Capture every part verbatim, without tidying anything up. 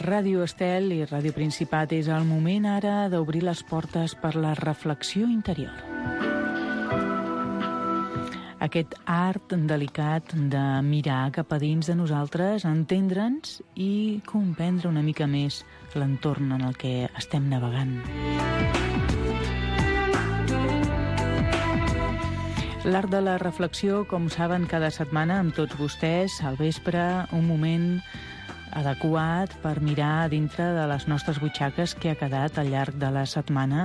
Ràdio Estel i Ràdio Principat és el moment ara d'obrir les portes per la reflexió interior. Aquest art delicat de mirar cap a dins de nosaltres, entendre'ns i comprendre una mica més l'entorn en el que estem navegant. L'art de la reflexió, com saben, cada setmana amb tots vostès, al vespre, un moment adequat per mirar dintre de les nostres butxaques què ha quedat al llarg de la setmana,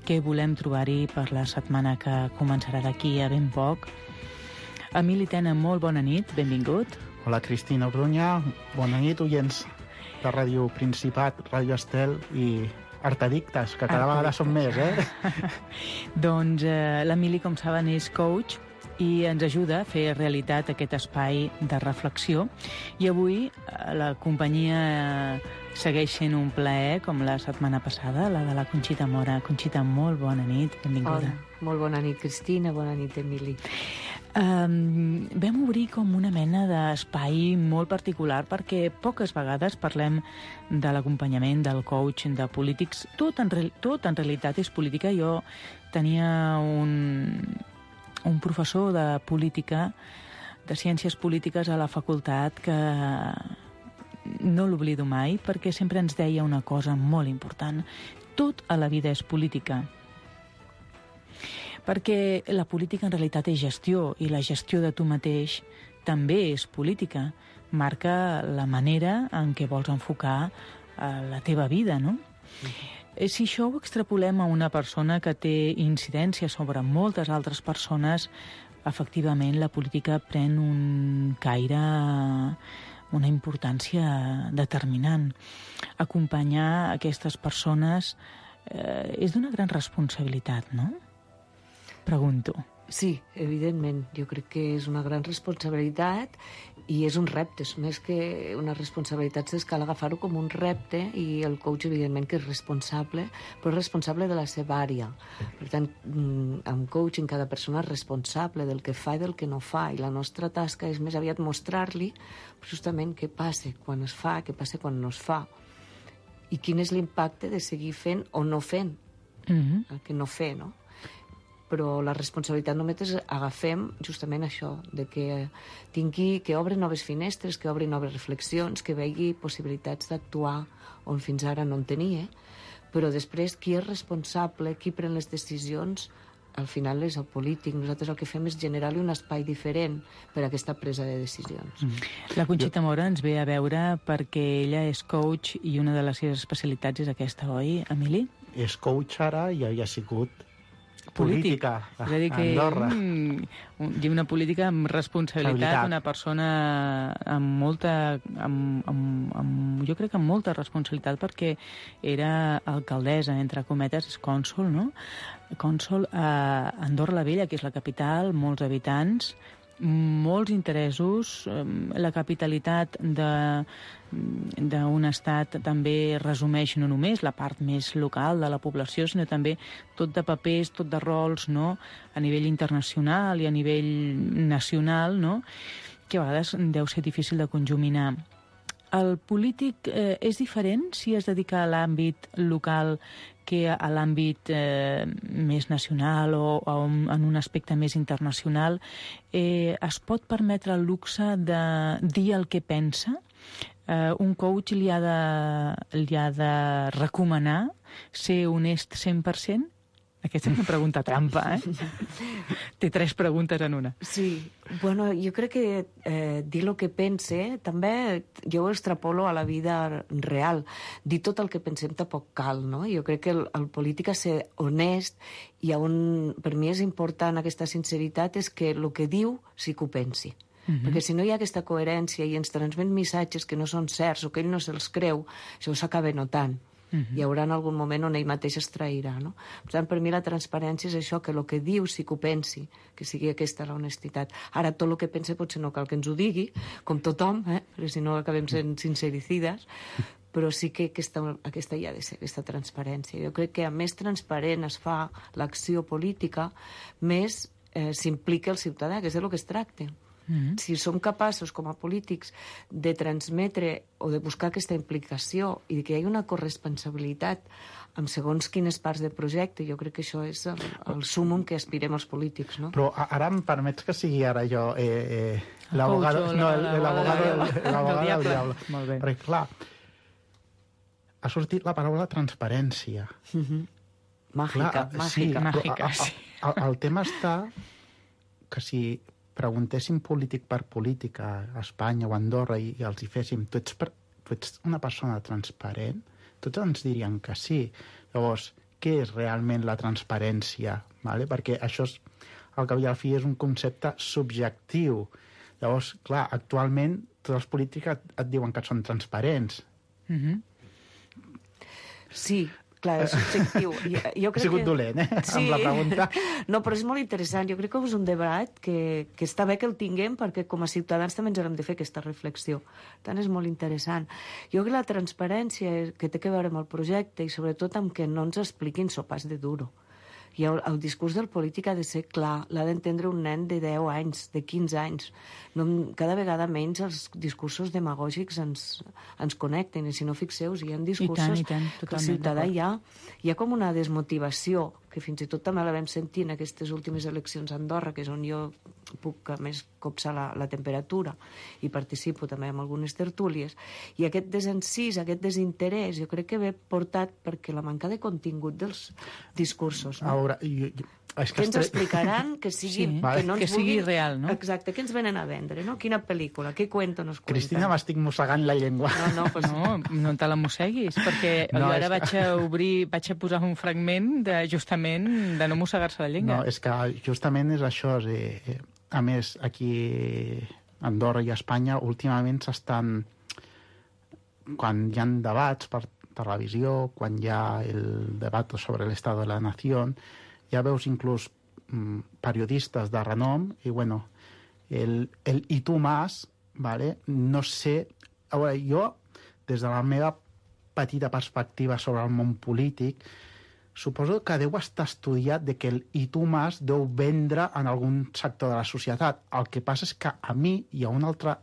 què volem trobar-hi per la setmana que començarà d'aquí a ben poc. Emili Tena, molt bona nit, benvingut. Hola, Cristina Orduña, bona nit, oients de Ràdio Principat, Ràdio Estel i Artadictes, que cada vegada són més, eh? Doncs eh, l'Emili, com saben, és coach i ens ajuda a fer realitat aquest espai de reflexió. I avui la companyia segueix sent un plaer, com la setmana passada, la de la Conxita Mora. Conxita, molt bona nit, benvinguda. Hola, molt bona nit, Cristina, bona nit, Emili. Um, vam obrir com una mena d'espai molt particular perquè poques vegades parlem de l'acompanyament, del coach, de polítics. Tot en, tot en realitat és política. Jo tenia un... un professor de política, de ciències polítiques a la facultat que no l'oblido mai perquè sempre ens deia una cosa molt important. Tot a la vida és política. Perquè la política en realitat és gestió i la gestió de tu mateix també és política. Marca la manera en què vols enfocar la teva vida, no? Mm-hmm. Si això ho extrapolem a una persona que té incidència sobre moltes altres persones, efectivament la política pren un caire, una importància determinant. Acompanyar aquestes persones eh, és d'una gran responsabilitat, no? Pregunto. Sí, evidentment. Jo crec que és una gran responsabilitat i és un repte. Més que una responsabilitat, és cal agafar-ho com un repte i el coach, evidentment, que és responsable, però és responsable de la seva àrea. Per tant, amb coaching, cada persona és responsable del que fa i del que no fa, i la nostra tasca és més aviat mostrar-li justament què passa quan es fa, què passa quan no es fa, i quin és l'impacte de seguir fent o no fent, mm-hmm. el que no fer, no? Però la responsabilitat només és agafem justament això, de que tingui, que obri noves finestres, que obri noves reflexions, que vegi possibilitats d'actuar on fins ara no en tenia, però després qui és responsable, qui pren les decisions, al final és el polític. Nosaltres el que fem és generar-li un espai diferent per a aquesta presa de decisions. Mm. La Conxita Mora ens ve a veure perquè ella és coach i una de les seves especialitats és aquesta, oi, Emili? És coach ara i havia sigut polític. política a, és a dir que, a Andorra. Mm, una política amb responsabilitat, una persona amb molta, amb, amb, amb, jo crec que amb molta responsabilitat perquè era alcaldessa, entre cometes, és cònsol, no? Cònsol a Andorra la Vella, que és la capital, molts habitants, molts interessos, la capitalitat d'un estat també resumeix no només la part més local de la població, sinó també tot de papers, tot de rols, no? A nivell internacional i a nivell nacional, no? Que a vegades deu ser difícil de conjuminar. El polític eh, és diferent si es dedica a l'àmbit local que a l'àmbit eh, més nacional o, o en un aspecte més internacional. Eh, es pot permetre el luxe de dir el que pensa? Eh, un coach li ha, de, li ha de recomanar ser honest cent per cent? Aquesta és una pregunta trampa, eh? Té tres preguntes en una. Sí, bueno, jo crec que eh, dir el que pense, també jo ho extrapolo a la vida real. Dir tot el que pensem tampoc cal, no? Jo crec que el, el polític ha de ser honest i on, per mi és important aquesta sinceritat és que el que diu sí que ho pensi. Uh-huh. Perquè si no hi ha aquesta coherència i ens transmet missatges que no són certs o que ell no se'ls creu, això s'acaba notant. Uh-huh. Hi haurà en algun moment on ell mateix es trairà, no? Per tant, per mi la transparència és això, que el que diu sí que ho pensi, que sigui aquesta l'honestitat. Ara, tot el que pense potser no cal que ens ho digui, com tothom, eh? Perquè si no acabem sent sincericides, però sí que aquesta, aquesta hi ha de ser, aquesta transparència. Jo crec que a més transparent es fa l'acció política, més eh, s'implica el ciutadà, que és de lo que es tracta. Mm-hmm. Si som capaços, com a polítics, de transmetre o de buscar aquesta implicació i que hi hagi una corresponsabilitat amb segons quines parts del projecte, jo crec que això és el, el súmum que aspirem els polítics, no? Però ara em permets que sigui ara jo eh, eh, l'abogado no, del diable. Molt bé. Perquè, clar, ha sortit la paraula transparència. Mm-hmm. Màgica, clar, màgica. Sí, màgica, sí. Sí. El, el tema està que si preguntéssim polític per polític a Espanya o a Andorra i, i els hi féssim tu ets, per, tu ets una persona transparent, tots ens dirien que sí. Llavors, què és realment la transparència? Vale? Perquè això, és, al cap i al fi, és un concepte subjectiu. Llavors, clar, actualment tots els polítics et, et diuen que són transparents. Mm-hmm. Sí, clar, és subjectiu. Jo, jo crec He sigut que... dolent, eh? Sí. Amb la pregunta. No, però és molt interessant. Jo crec que és un debat que, que està bé que el tinguem perquè com a ciutadans també ens hem de fer aquesta reflexió. Per tant, és molt interessant. Jo crec que la transparència que té a veure amb el projecte i sobretot amb que no ens expliquin sopars de duro. I el, el discurs del polític ha de ser clar, l'ha d'entendre un nen de deu anys, de quinze anys. No, cada vegada menys els discursos demagògics ens, ens connecten, i si no fixeu-vos, hi ha discursos I tant, i tant, que el ciutadà hi ha, hi ha com una desmotivació, que fins i tot també la vam sentir en aquestes últimes eleccions a Andorra, que és on jo puc a més copsar la, la temperatura i participo també en algunes tertúlies, i aquest desencís, aquest desinterès, jo crec que ve portat perquè la manca de contingut dels discursos. No? A veure, jo, jo, és que que ens estre... explicaran que sigui, Sí, que no ens que sigui vulguin... real, no? Exacte, què ens venen a vendre, no? Quina pel·lícula, què cuento nos cuentan. Cristina, m'estic mossegant la llengua. No, no, pues... No, no te la mosseguis, perquè No, jo ara és que- vaig a obrir, vaig a posar un fragment de, justament de no mossegar-se la llengua. No, és que justament és això. És, eh, a més, aquí a Andorra i a Espanya últimament s'estan... Quan hi ha debats per televisió, quan hi ha el debat sobre l'estat de la nació, ja veus inclús mm, periodistes de renom i, bueno, el, el i tu más, vale? No sé... A veure, jo, des de la meva petita perspectiva sobre el món polític, suposo que deu estar estudiat de que el i tu más deu vendre en algun sector de la societat. El que passa és que a mi i a un altre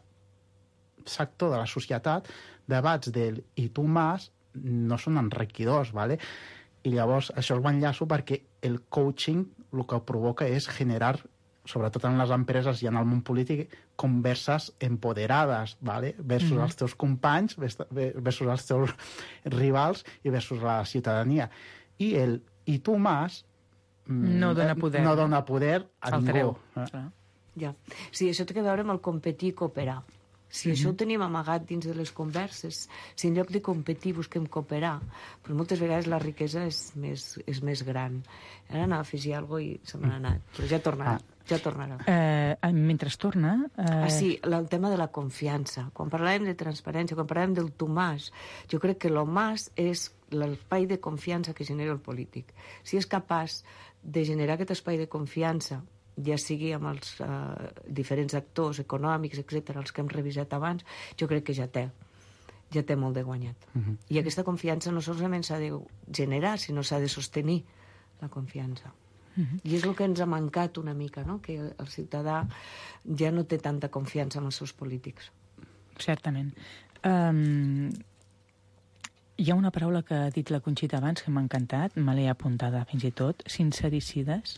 sector de la societat debats del i tu más no són enriquidors, ¿vale? I llavors això ho enllaço perquè el coaching el que provoca és generar, sobretot en les empreses i en el món polític, converses empoderades, ¿vale? Versus mm-hmm. els teus companys, versus els teus rivals i versus la ciutadania. I el i tu más no dona poder, no dona poder a el ningú. treu. Eh? Ja. Sí, això té a veure amb el competir i cooperar. Si mm-hmm. això ho tenim amagat dins de les converses, si en lloc de competir busquem cooperar, però moltes vegades la riquesa és més, és més gran. Ara anava a afegir alguna cosa i se m'ha anat, però ja tornarà. Ah. Ja tornarà. Eh, mentre es torna... Eh... Ah, sí, el tema de la confiança. Quan parlàvem de transparència, quan parlàvem del Tomàs, jo crec que lo más és l'espai de confiança que genera el polític. Si és capaç de generar aquest espai de confiança, ja sigui amb els eh, diferents actors econòmics, etcètera, els que hem revisat abans, jo crec que ja té ja té molt de guanyat. Uh-huh. I aquesta confiança no solament s'ha de generar, sinó s'ha de sostenir la confiança. Uh-huh. I és el que ens ha mancat una mica, no? Que el ciutadà ja no té tanta confiança en els seus polítics. Certament. Um, hi ha una paraula que ha dit la Conxita abans que m'ha encantat, me l'he apuntada fins i tot, sincericides,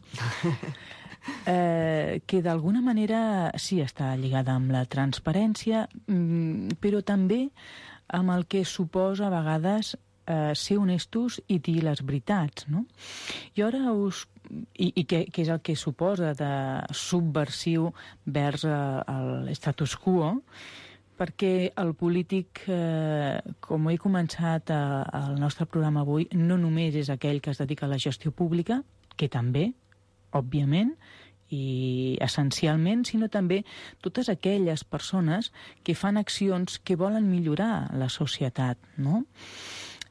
eh, que d'alguna manera sí està lligada amb la transparència, però també amb el que suposa a vegades eh, ser honestos i dir les veritats, no? I ara us... I, i què, què és el que suposa de subversiu vers eh, l'estatus quo, perquè el polític, eh, com he començat eh, el nostre programa avui, no només és aquell que es dedica a la gestió pública, que també, òbviament, i essencialment, sinó també totes aquelles persones que fan accions que volen millorar la societat, no?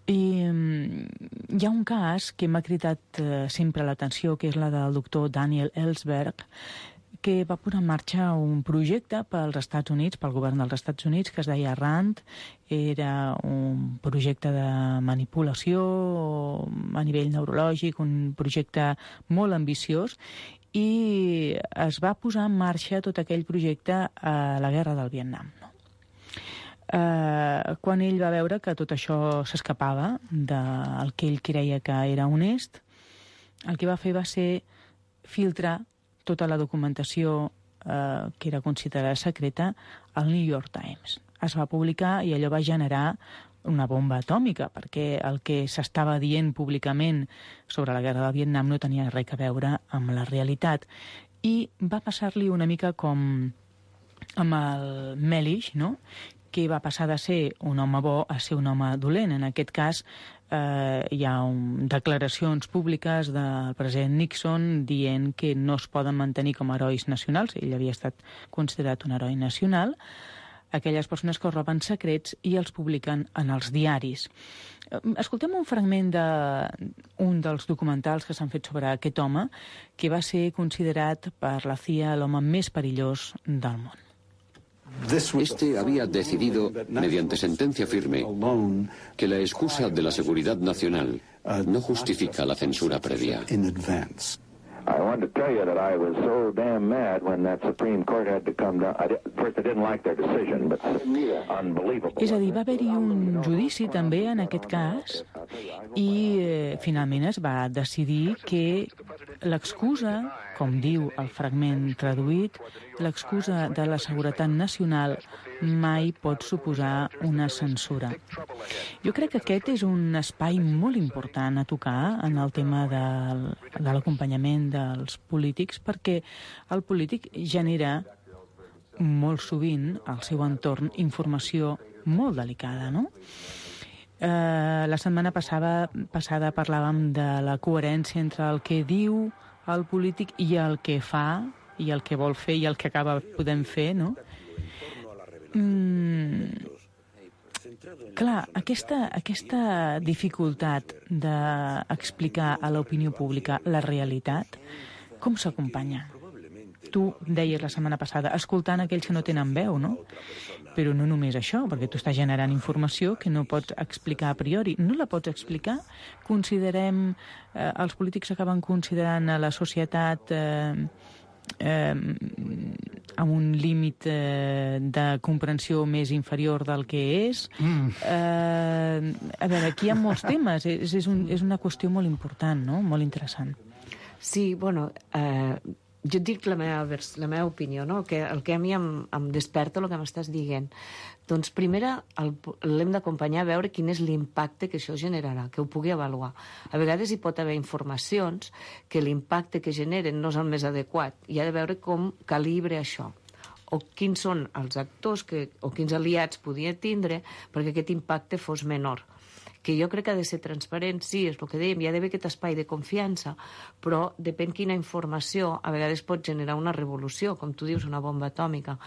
I hi ha un cas que m'ha cridat eh, sempre l'atenció, que és la del doctor Daniel Ellsberg, que va posar en marxa un projecte pels Estats Units, pel govern dels Estats Units, que es deia RAND. Era un projecte de manipulació a nivell neurològic, un projecte molt ambiciós, i es va posar en marxa tot aquell projecte a la guerra del Vietnam. No? Eh, quan ell va veure que tot això s'escapava del que ell creia que era honest, el que va fer va ser filtrar tota la documentació eh, que era considerada secreta al New York Times. Es va publicar i allò va generar una bomba atòmica, perquè el que s'estava dient públicament sobre la guerra del Vietnam no tenia res a veure amb la realitat. I va passar-li una mica com amb el Mellish, no?, que va passar de ser un home bo a ser un home dolent. En aquest cas, eh, hi ha un, declaracions públiques del president Nixon dient que no es poden mantenir com a herois nacionals. Ell havia estat considerat un heroi nacional. Aquelles persones que roben secrets i els publiquen en els diaris. Escoltem un fragment d'un dels documentals que s'han fet sobre aquest home, que va ser considerat per la C I A l'home més perillós del món. Este había decidido, mediante sentencia firme, que la excusa de la seguridad nacional no justifica la censura previa. I wanted to tell you that I was so damn mad when that Supreme Court had to come down. I, first, I didn't like their decision, but unbelievable. És a dir, va haver-hi un judici també en aquest cas i eh, finalment es va decidir que l'excusa, com diu el fragment traduït, l'excusa de la seguretat nacional mai pot suposar una censura. Jo crec que aquest és un espai molt important a tocar en el tema del, de l'acompanyament dels polítics, perquè el polític genera molt sovint al seu entorn informació molt delicada, no? Eh, la setmana passada, passada parlàvem de la coherència entre el que diu el polític i el que fa, i el que vol fer i el que acaba podent fer, no? Mm, clar, aquesta, aquesta dificultat d'explicar a l'opinió pública la realitat, com s'acompanya? Tu deies la setmana passada, escoltant aquells que no tenen veu, no? Però no només això, perquè tu estàs generant informació que no pots explicar a priori. No la pots explicar? Considerem, eh, els polítics acaben considerant a la societat eh, eh, amb un límit eh, de comprensió més inferior del que és. Mm. Eh, a veure, aquí hi ha molts temes. És, és, un, és una qüestió molt important, no? Molt interessant. Sí, bueno, eh, jo et dic la meva, la meva opinió, no? Que el que a mi em, em desperta el que m'estàs dient. Doncs, primera, l'hem d'acompanyar a veure quin és l'impacte que això generarà, que ho pugui avaluar. A vegades hi pot haver informacions que l'impacte que generen no és el més adequat i ha de veure com calibre això, o quins són els actors que, o quins aliats podia tindre perquè aquest impacte fos menor. Que jo crec que ha de ser transparent, sí, és el que dèiem, hi ha d'haver aquest espai de confiança, però depèn quina informació a vegades pot generar una revolució, com tu dius, una bomba atòmica.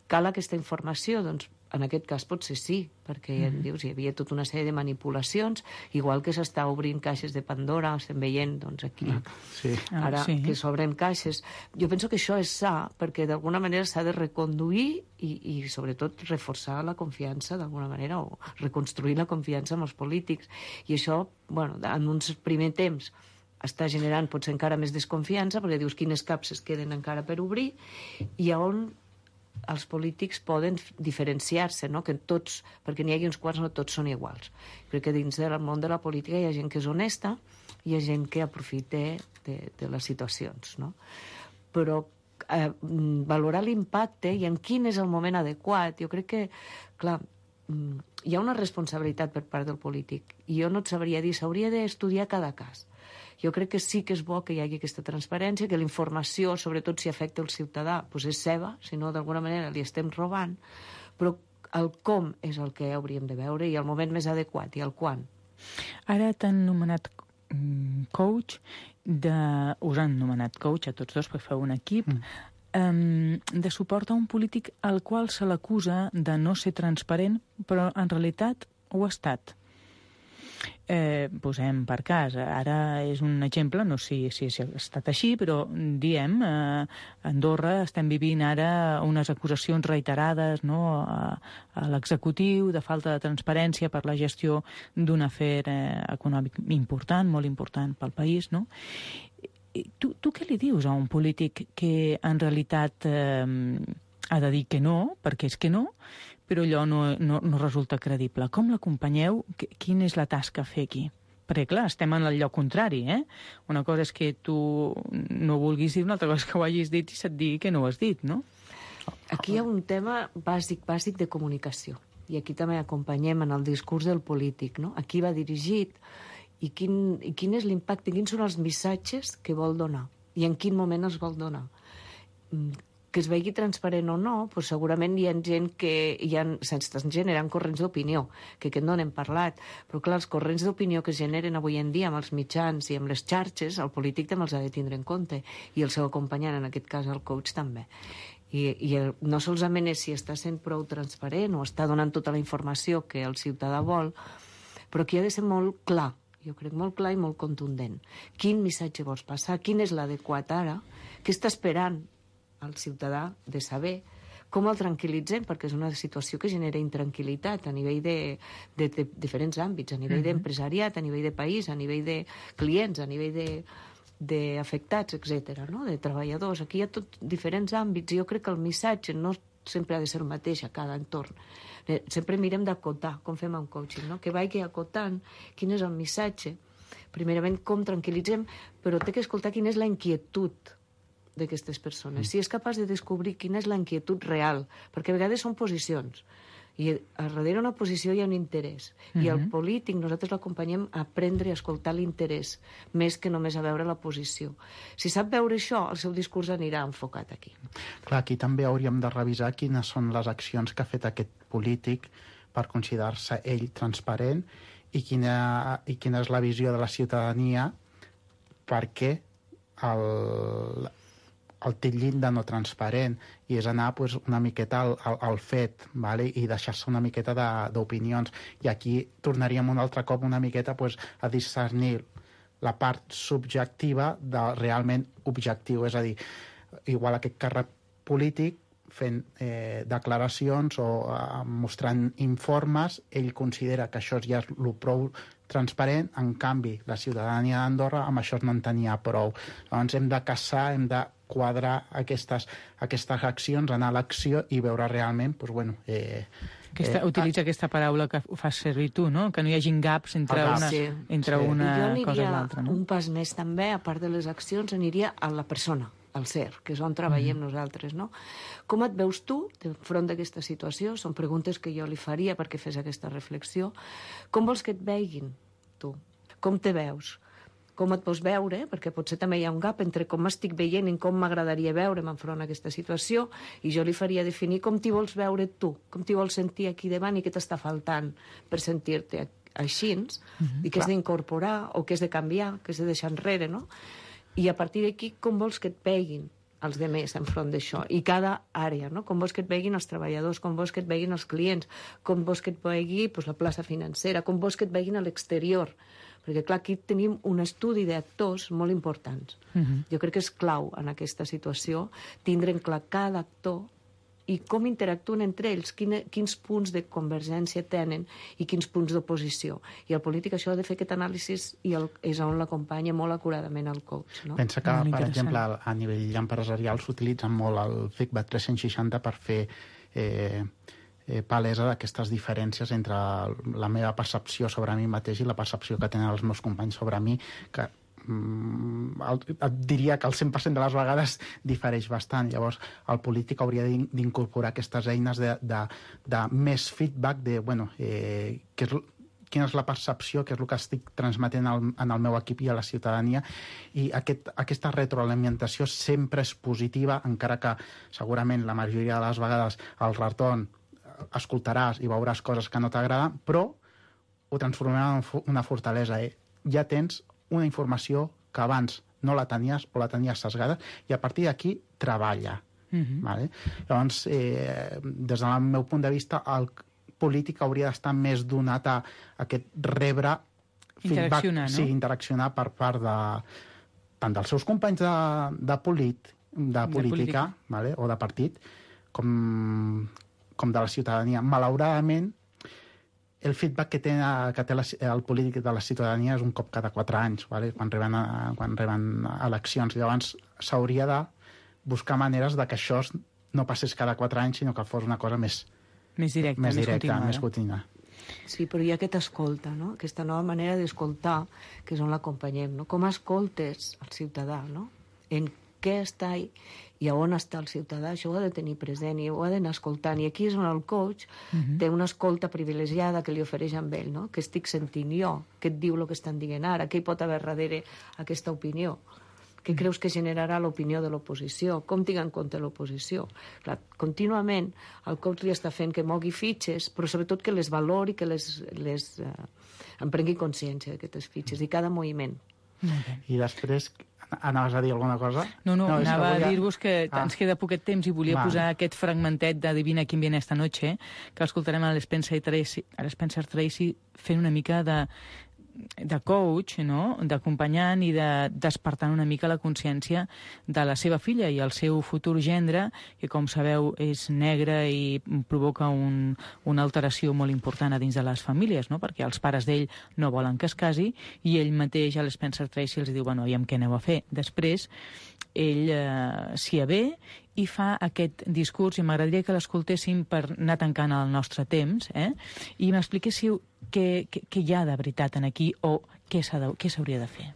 Cal aquesta informació? Doncs en aquest cas potser sí, perquè ja mm-hmm. dius, hi havia tota una sèrie de manipulacions, igual que s'està obrint caixes de Pandora, estem veient doncs, aquí, mm. sí. ara ah, sí. que s'obren caixes. Jo penso que això és sa, perquè d'alguna manera s'ha de reconduir i, i sobretot reforçar la confiança d'alguna manera, o reconstruir la confiança amb els polítics. I això, bueno, en un primer temps està generant potser encara més desconfiança, perquè dius quines capses queden encara per obrir, i on els polítics poden diferenciar-se, no? Que tots, perquè n'hi hagi uns quants, no tots són iguals. Crec que dins del món de la política hi ha gent que és honesta i hi ha gent que aprofita de, de les situacions, no? Però eh, valorar l'impacte i en quin és el moment adequat, jo crec que, clar, hi ha una responsabilitat per part del polític i jo no et sabria dir, s'hauria d'estudiar cada cas. Jo crec que sí que és bo que hi hagi aquesta transparència, que la informació, sobretot si afecta el ciutadà, doncs és seva, si no d'alguna manera li estem robant, però el com és el que hauríem de veure i el moment més adequat i el quan. Ara t'han nomenat coach, de... us han nomenat coach a tots dos perquè feu un equip, mm. de suport a un polític al qual se l'acusa de no ser transparent, però en realitat ho ha estat. Eh, posem per cas, ara és un exemple, no sé si, si ha estat així, però diem, eh, a Andorra estem vivint ara unes acusacions reiterades, no, a, a l'executiu de falta de transparència per la gestió d'un afer eh, econòmic important, molt important pel país, no? tu, tu què li dius a un polític que en realitat eh, ha de dir que no, perquè és que no, però allò no, no, no resulta credible? Com l'acompanyeu? Quina és la tasca a fer aquí? Perquè, clar, estem en el lloc contrari, eh? Una cosa és que tu no vulguis dir, una altra cosa és que ho hagis dit i se't digui que no ho has dit, no? Aquí hi ha un tema bàsic, bàsic de comunicació. I aquí també acompanyem en el discurs del polític, no? A qui va dirigit i quin, i quin és l'impacte, quins són els missatges que vol donar i en quin moment els vol donar. Que es vegi transparent o no, doncs segurament hi ha gent que hi ha, s'estan generant corrents d'opinió, que aquest no n'hem parlat, però clar, els corrents d'opinió que es generen avui en dia amb els mitjans i amb les xarxes, el polític també els ha de tindre en compte, i el seu acompanyant, en aquest cas el coach, també. I, i el, no solament és si està sent prou transparent o està donant tota la informació que el ciutadà vol, però aquí ha de ser molt clar, jo crec molt clar i molt contundent. Quin missatge vols passar? Quin és l'adequat ara? Què està esperant al ciutadà de saber? Com el tranquil·litzem? Perquè és una situació que genera intranquil·litat a nivell de, de, de diferents àmbits, a nivell d'empresariat, a nivell de país, a nivell de clients, a nivell de d'afectats, etcètera, no? De treballadors. Aquí hi ha tots diferents àmbits i jo crec que el missatge no sempre ha de ser el mateix a cada entorn. Sempre mirem d'acotar, com fem amb coaching, no? Que vagi acotant quin és el missatge. Primerament, com tranquil·litzem, però té que escoltar quina és la inquietud d'aquestes persones. Si és capaç de descobrir quina és la inquietud real, perquè a vegades són posicions, i a darrere una posició hi ha un interès. Uh-huh. I el polític, nosaltres l'acompanyem a aprendre a escoltar l'interès, més que només a veure la posició. Si sap veure això, el seu discurs anirà enfocat aquí. Clar, aquí també hauríem de revisar quines són les accions que ha fet aquest polític per considerar-se ell transparent i quina, i quina és la visió de la ciutadania perquè el... el titllit de no transparent, i és anar pues, una miqueta al, al, al fet, vale? I deixar-se una miqueta d'opinions. I aquí tornaríem un altre cop una miqueta pues, a discernir la part subjectiva del realment objectiu. És a dir, igual aquest càrrec polític fent eh, declaracions o eh, mostrant informes, ell considera que això ja és el prou transparent, en canvi la ciutadania d'Andorra amb això no en tenia prou. Llavors hem de caçar, hem de quadrar aquestes, aquestes accions, anar a l'acció i veure realment, doncs, bueno... Eh, aquesta, eh, utilitza ah, aquesta paraula que fas servir tu, no? Que no hi hagin gaps entre ah, una, sí, entre sí. una cosa i Jo l'altra. No? un pas més també, a part de les accions, aniria a la persona, al ser, que és on treballem mm. nosaltres, no? Com et veus tu enfront d'aquesta situació? Són preguntes que jo li faria perquè fes aquesta reflexió. Com vols que et veguin, tu? Com te veus? Com et pots veure, perquè potser també hi ha un gap entre com m'estic veient i com m'agradaria veure'm enfront a aquesta situació, i jo li faria definir com t'hi vols veure tu, com t'hi vols sentir aquí davant i què t'està faltant per sentir-te així, mm-hmm, i què has d'incorporar o què has de canviar, què has de deixar enrere, no? I a partir d'aquí, com vols que et veguin els demés enfront d'això, i cada àrea, no? Com vols que et veguin els treballadors, com vols que et veguin els clients, com vols que et vegui pues, la plaça financera, com vols que et veguin a l'exterior, perquè clar, aquí tenim un estudi d'actors molt importants. Uh-huh. Jo crec que és clau en aquesta situació tindre en clar cada actor i com interactuen entre ells, quina, quins punts de convergència tenen i quins punts d'oposició. I el polític això ha de fer aquest anàlisi i el, és on l'acompanya molt acuradament el coach. No? Pensa que, per exemple, a nivell empresarial s'utilitzen molt el feedback tres cents seixanta per fer eh, eh, palesa d'aquestes diferències entre la meva percepció sobre mi mateix i la percepció que tenen els meus companys sobre mi, que et diria que el cent per cent de les vegades difereix bastant. Llavors el polític hauria d'incorporar aquestes eines de, de, de més feedback de, bueno, eh, què és, quina és la percepció, què és el que estic transmetent al, en el meu equip i a la ciutadania, i aquest, aquesta retroalimentació sempre és positiva, encara que segurament la majoria de les vegades al retorn escoltaràs i veuràs coses que no t'agraden, però ho transformarà en una fortalesa. Eh? Ja tens una informació que abans no la tenies o la tenies sesgada, i a partir d'aquí treballa. Uh-huh. Vale? Llavors, eh, des del meu punt de vista, el polític hauria d'estar més donat a aquest rebre feedback, interaccionar, no? Sí, interaccionar per part de, tant dels seus companys de, de, polit, de política, de vale? O de partit, com, com de la ciutadania. Malauradament, el feedback que té, que té la, el polític de la ciutadania és un cop cada quatre anys, vale? quan, reben, quan reben eleccions. Llavors s'hauria de buscar maneres de que això no passés cada quatre anys, sinó que fos una cosa més, més directa, més, més, directa, més contínua. Sí, però hi ha aquest escolta, no? Aquesta nova manera d'escoltar, que és on l'acompanyem, no? Com escoltes el ciutadà, no? En què està i, i a on està el ciutadà, això ho ha de tenir present i ho ha d'anar escoltant. I aquí és on el coach uh-huh. té una escolta privilegiada que li ofereix amb ell, no? Què estic sentint jo? Què et diu el que estan dient ara? Què hi pot haver darrere aquesta opinió? Què creus que generarà l'opinió de l'oposició? Com tinc en compte l'oposició? Clar, contínuament el coach li està fent que mogui fitxes, però sobretot que les valori, que les, les eh, en prengui consciència d'aquestes fitxes i cada moviment. Okay. I després, anaves a dir alguna cosa? No, no, no anava volia... a dir-vos que ah. ens queda poquet temps i volia Va. posar aquest fragmentet d'Adivina quién viene esta noche, que l'escoltarem a l'Spencer Tracy, a l'Spencer Tracy fent una mica de de coach, no? D'acompanyant i de despertant una mica la consciència de la seva filla i el seu futur gendre, que com sabeu és negre i provoca un, una alteració molt important a dins de les famílies, no? Perquè els pares d'ell no volen que es casi i ell mateix, a l'Spencer Tracy, els diu, bueno, i amb què aneu a fer? Després, ell eh, s'hi avé i fa aquest discurs, i m'agradaria que l'escoltéssim per anar tancant el nostre temps, eh? I m'expliquéssiu què, què, què hi ha de veritat en aquí o què s'hauria de fer.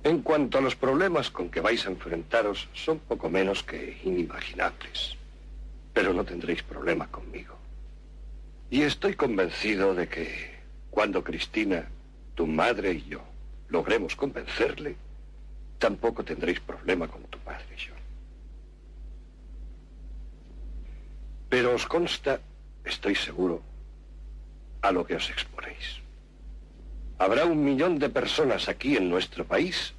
En cuanto a los problemas con que vais a enfrentaros, son poco menos que inimaginables. Pero no tendréis problema conmigo. Y estoy convencido de que cuando Cristina, tu madre y yo logremos convencerle, tampoco tendréis problema con tu padre, John. Pero os consta, estoy seguro, a lo que os exponéis. Habrá un millón de personas aquí en nuestro país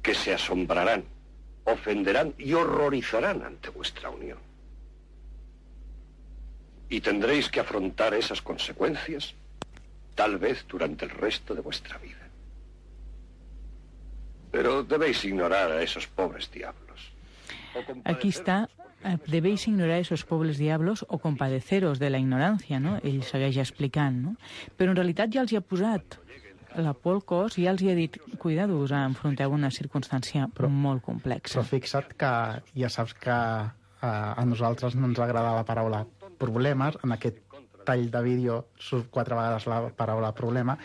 que se asombrarán, ofenderán y horrorizarán ante vuestra unión. Y tendréis que afrontar esas consecuencias, tal vez durante el resto de vuestra vida. Pero debéis ignorar a esos pobres diablos. Aquí está, debéis ignorar esos pobres diablos o compadeceros de la ignorància, no? Ell segueix explicant, no? Però en realitat ja els hi ha posat la por al cos i ja els hi ha dit, cuidado-us, enfronteu una circumstància però, molt complexa. Però fixa't que ja saps que a, a nosaltres no ens agrada la paraula problemes, en aquest tall de vídeo surt quatre vegades la paraula problema,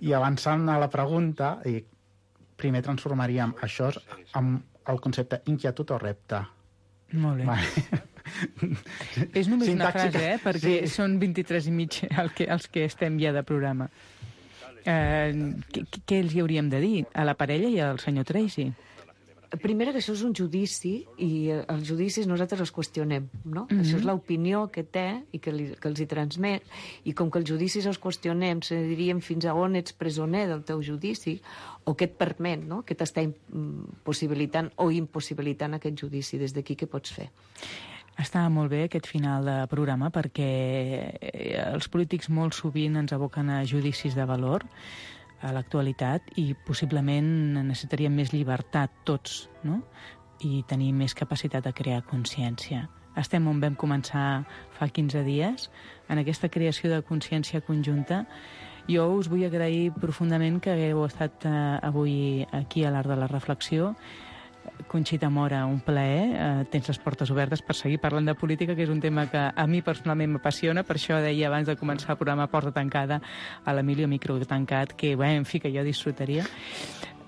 i avançant a la pregunta, i primer transformaríem això en el concepte inquietud o repte. Molt bé. Vale. És només Sintàxica. Una frase, eh? Perquè sí. Són vint-i-tres i mig el que, els que estem ja de programa. Eh, què, què els hi hauríem de dir a la parella i al senyor Tracy? Primera, que això és un judici i els judicis nosaltres els qüestionem, no? Mm-hmm. Això és l'opinió que té i que, li, que els hi transmet, i com que els judicis els qüestionem, se diríem fins a on ets presoner del teu judici o què et permet, no? Què t'està possibilitant o impossibilitant aquest judici, des d'aquí què pots fer? Està molt bé aquest final de programa perquè els polítics molt sovint ens aboquen a judicis de valor a l'actualitat i possiblement necessitaríem més llibertat tots, no? I tenir més capacitat de crear consciència. Estem on vam començar fa quinze dies, en aquesta creació de consciència conjunta. Jo us vull agrair profundament que hagueu estat eh, avui aquí a l'Art de la Reflexió. Conxita Mora, un plaer. Eh, tens les portes obertes per seguir parlant de política, que és un tema que a mi personalment m'apassiona. Per això deia abans de començar el programa Porta Tancada a l'Emilio Micro Tancat, que, bé, en fi, que jo disfrutaria.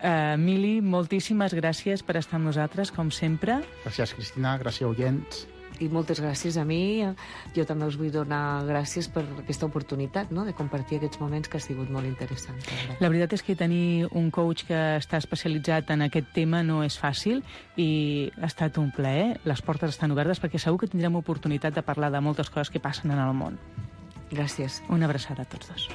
Uh, Mili, moltíssimes gràcies per estar amb nosaltres, com sempre. Gràcies, Cristina. Gràcies, oients. I moltes gràcies a mi. Jo també us vull donar gràcies per aquesta oportunitat, no?, de compartir aquests moments, que ha sigut molt interessant. La veritat és que tenir un coach que està especialitzat en aquest tema no és fàcil i ha estat un plaer. Les portes estan obertes perquè segur que tindrem oportunitat de parlar de moltes coses que passen en el món. Gràcies. Una abraçada a tots dos.